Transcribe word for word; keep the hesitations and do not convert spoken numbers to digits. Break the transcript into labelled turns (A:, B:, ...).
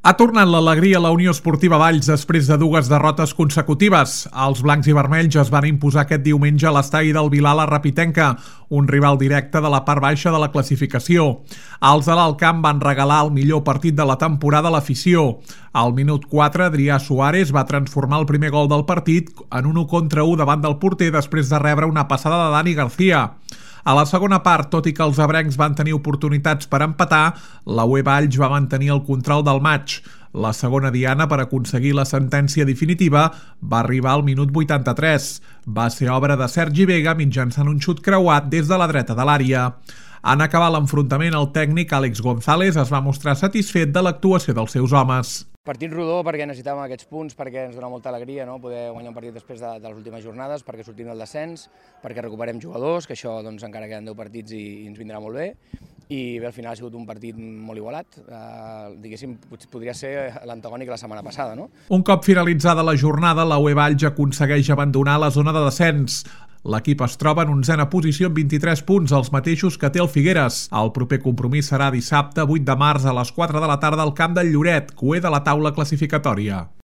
A: Ha tornat l'alegria a la Unió Esportiva Valls després de dues derrotes consecutives. Els blancs i vermells es van imposar aquest diumenge a l'estadi del Vilar la Rapitenca, un rival directe de la part baixa de la classificació. Els de l'Alt Camp van regalar el millor partit de la temporada a l'afició. Al minut quatre, Adrià Suárez va transformar el primer gol del partit en un u contra u davant del porter després de rebre una passada de Dani García. A la segona part, tot i que els ebrencs van tenir oportunitats per empatar, la U E Valls va mantenir el control del maig. La segona diana per aconseguir la sentència definitiva va arribar al minut vuitanta-tres. Va ser obra de Sergi Vega mitjançant un xut creuat des de la dreta de l'àrea. En acabar l'enfrontament, el tècnic Àlex González es va mostrar satisfet de l'actuació dels seus homes.
B: Partit rodó perquè necessitàvem aquests punts, perquè ens dona molta alegria, no? Poder guanyar un partit després de, de les últimes jornades, perquè sortim del descens, perquè recuperem jugadors, que això doncs, encara queden deu partits i, i ens vindrà molt bé. I bé, al final ha sigut un partit molt igualat, eh, diguéssim, podria ser l'antagònic la setmana passada, no?
A: Un cop finalitzada la jornada, la U E Valls aconsegueix abandonar la zona de descens. L'equip es troba en onzena posició amb vint-i-tres punts, els mateixos que té el Figueres. El proper compromís serà dissabte vuit de març a les quatre de la tarda al camp del Lloret, cuer de la taula classificatòria.